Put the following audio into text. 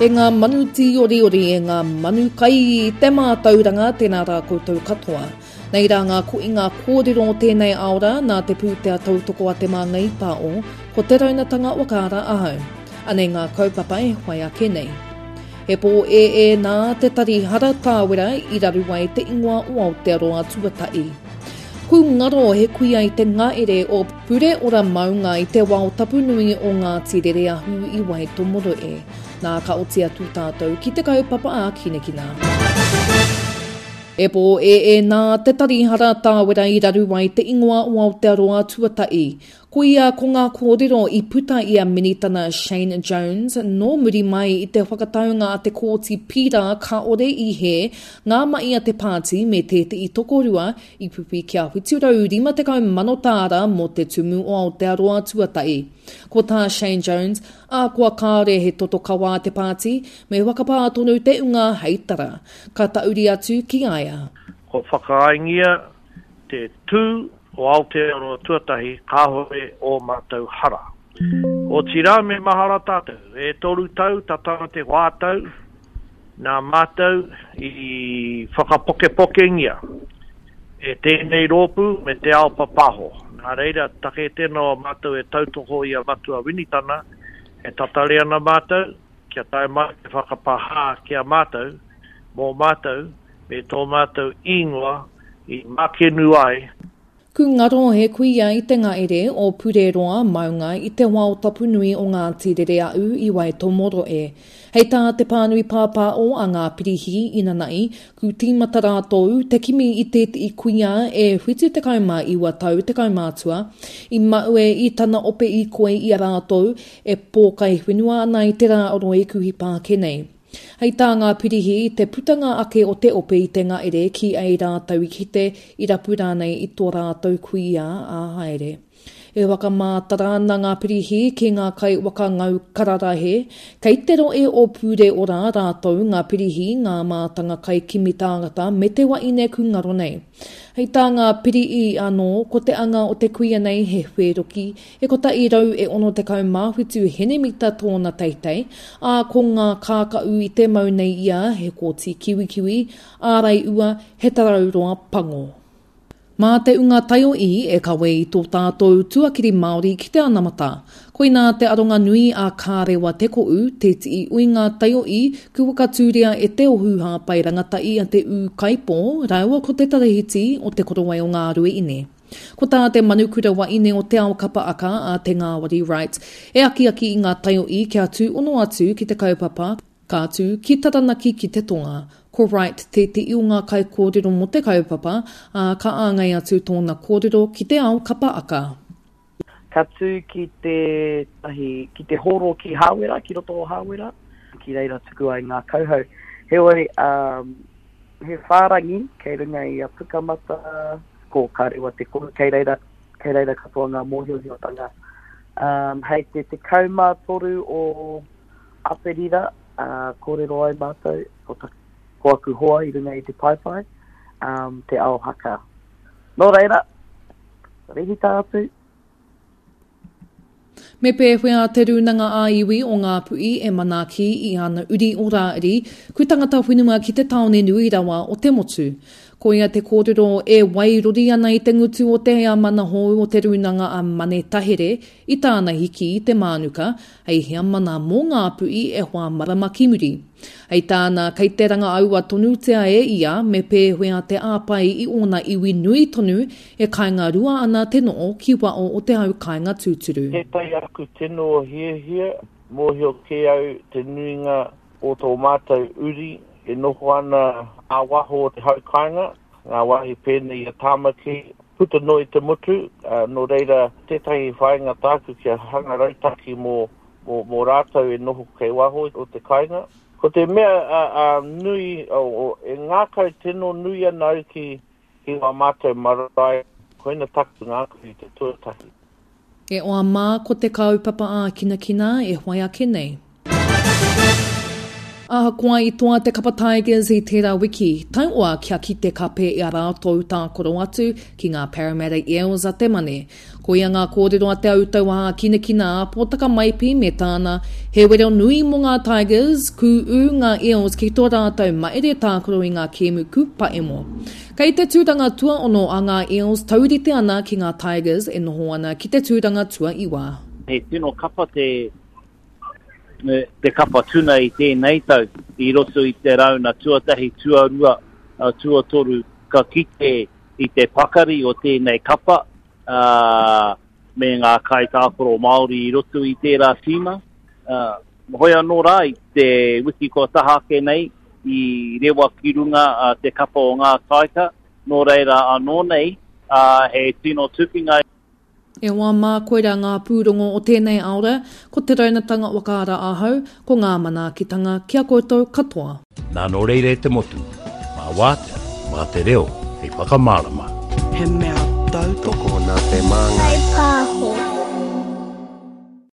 E ngā manu tīoriori, e ngā manu kai i te mātauranga, tēnā rā koutou katoa. Nei rā ngā koinga kōrero o tēnei aora nā te pūtea tautoko a Te Māngai Pāo, ko Te Raunatanga Wakaara ahau. Anei ngā kaupapa e whai ake nei. He pōēē nā te tari hara tāwera i raru ai te ingoa o Aotearoa tuatahi. Ku ngaro he kuia i te ngaere o Pureora maunga i te wao tapu nui o Ngāti Rereahu i Waitomoro e. Nā ka oti atu tātou ki te kaupapa a Kinekina. E pōēē nā te tari hara tāwera i raru ai te ingoa o Aotearoa tuatahi. Koia ko ngā kōrero i puta i a Minitana Shane Jones nō muri mai i te whakataunga a te Kōti Pīra kāore i hē ngā mahi a te pāti me tētehi tokorua i whiwhi kia 750 mano tāra mō te Tumu o Aotearoa tuatahi. Ko tā Shane Jones, ahakoa kāore he toto kawa a te pāti, me whakapā tonu te unga hei tara. Ka tahuri atu ki a ia. Kua whakaaengia te tū o Aotearoa tuatahi kāore ō mātou hara. Otirā me mahara tātou, e toru tau tata te whā tau nā mātou i whakapokepokengia e tēnei rōpū me te ao papaho. Nā reira, take tēnā o mātou e tautoko i a Matua Winitana, e tatari ana mātou kia tae mai te whakapahā ki a mātou, mō mātou, me tō mātou īngoa i makenu ai. Ku ngaro he kuia i te ngaere o Pureroa maunga i te wao tapu nui o Ngāti Rereaū i Waitomoro e. Hei tā te pānui pāpāo a ngā pirihi inanahi, ku tīmata rātou te kimi i tētehi kuia e 79 tau te kaumātua, i maue i tana ope īkoi i a rātou e pōkai whenua ana i te rā o Roikuhi Pāke nei. Hei tā ngā pirihi, i te putanga ake o te ope i te ngaere ki ei rātou i kite, i rapu rānei i tō rātou kuia ā haere. E whakamātara ana ngā pirihi ki ngā kai waka ngau kararahe, kei te rohe o Pūreora rātou ngā pirihi, ngā mātanga kai kimi tāngata me te waeine kūngaro nei. Hei tā ngā pirihi anō, ko te anga o te kuia nei he whēroki, He 167 henemita tōna teitei, ā, ko ngā kākaū i te mau nei ia he koti kiwikiwi, ārai ua, he tarau roa pango. Mā te unga taioī e kawe i tō tātou tuakiri Māori ki te anamata. Koinā te aronga nui a Ka Rewa Te Koʻu, te tii uinga taioī ku whakatūria e Te Ohu Hāpai Rangatahi a Te Ūkaipō rāua ko Te Tarahiti o Te Korowai o Ngāruaine. Ko tā te manukura waeine o Te Ao Kapa Aka, a Te Ngāwari Wright, e akiaki i ngā taioī kia tūhono atu ki te kaupapa, ka tū ki Taranaki ki te tonga. Ko Wright tētehi o ngā kaikōrero mō te kaupapa, ā, ka āngai atu tōna kōrero ki Te Ao Kapa Aka. Ka tū ki te tahi, ki te hōro ki Hāwera, ki roto o Hāwera, ki reira tuku ai ngā kauhau. Heoi, he whārangi kei runga i a Pukamata, ko Ka Rewa Te Kohu, kei reira, kei reira katoa ngā mōhiohiotanga. Um, hei te 13 o Aperira, uh, kōrero ai mātou, ko, ta, ko aku hoa i runga i te paepae, um, te ao haka. Nō reira, rehita atu. Me pēwhea te Rūnanga ā-Iwi o Ngāpuhi e manaaki i ana uri o Rāiri, ku tangata whenua ki te tāone nui rawa o te motu? Koia te kōrero e wairori ana i te ngutu o te heamana hou o te Rūnanga a Mane Tahere i tāna hiki i te mānuka hei heamana mō Ngāpuhi e hoa marama ki muri. Hei tāna, kei te rangaaua tonutia e ia me pēwhea te āpai i ōna iwi nui tonu e kainga rua ana te noo ki wao o te hau kainga tūturu. Tētahi aku tino hiahia, mōhio kē au te nuinga o tō mātou uri e noho ana ā-waho o te hau kāinga, ngā wāhi pēnei i a Tāmaki, puta noa i te motu, nō reira tētahi whāinga tāku kia hanga rautaki mō mō, mō rātou e noho kei waho o te kāinga. Ko te mea a, a, nui, o, o, e ngākau tino nui ana au ki, ki wā mātou marae, koina taku ngākau i te tuatahi. E oa mā ko te kaupapa ākinakina e whai ake nei. Ahakoa i toa te kapa Tigers i tērā wiki, taioa kia kite kape i a rātou tākaro atu ki ngā Parramatta Eels a te Mane. Koia ngā kōrero a Te Autauaha Kinakina a Pōtaka Maipi me tāna, he wero nui mō ngā Tigers, kū ū ngā Eels ki tō rātou maere tākaro i ngā kēmu kūpaemo. Kei te tūranga tuaono a ngā Eels taurite ana ki ngā Tigers e noho ana ki te tūranga tuaiwa. He tino kapa te te kapa tuna i tēnei tau i roto i te rauna tuatahi, tuarua, tuatoru ka kite i te pakari o tēnei kapa ā, me ngā kaitākaro Māori i roto i tērā tīma. Ā, hoi anō rā i te wiki kua taha ake nei i rewa ki runga te kapa o ngā Taika, nō reira anō nei, ā, he tino tukinga. E hoa mā, koirā ngā pūrongo o tēnei aora, ko Te Raunatanga Whakaara ahau, ko ngā manaakitanga ki a koutou katoa. Nā nō reira e te motu, mā wātea, mā te reo hei whakamārama. He mea tautoko. Tokona te māngai.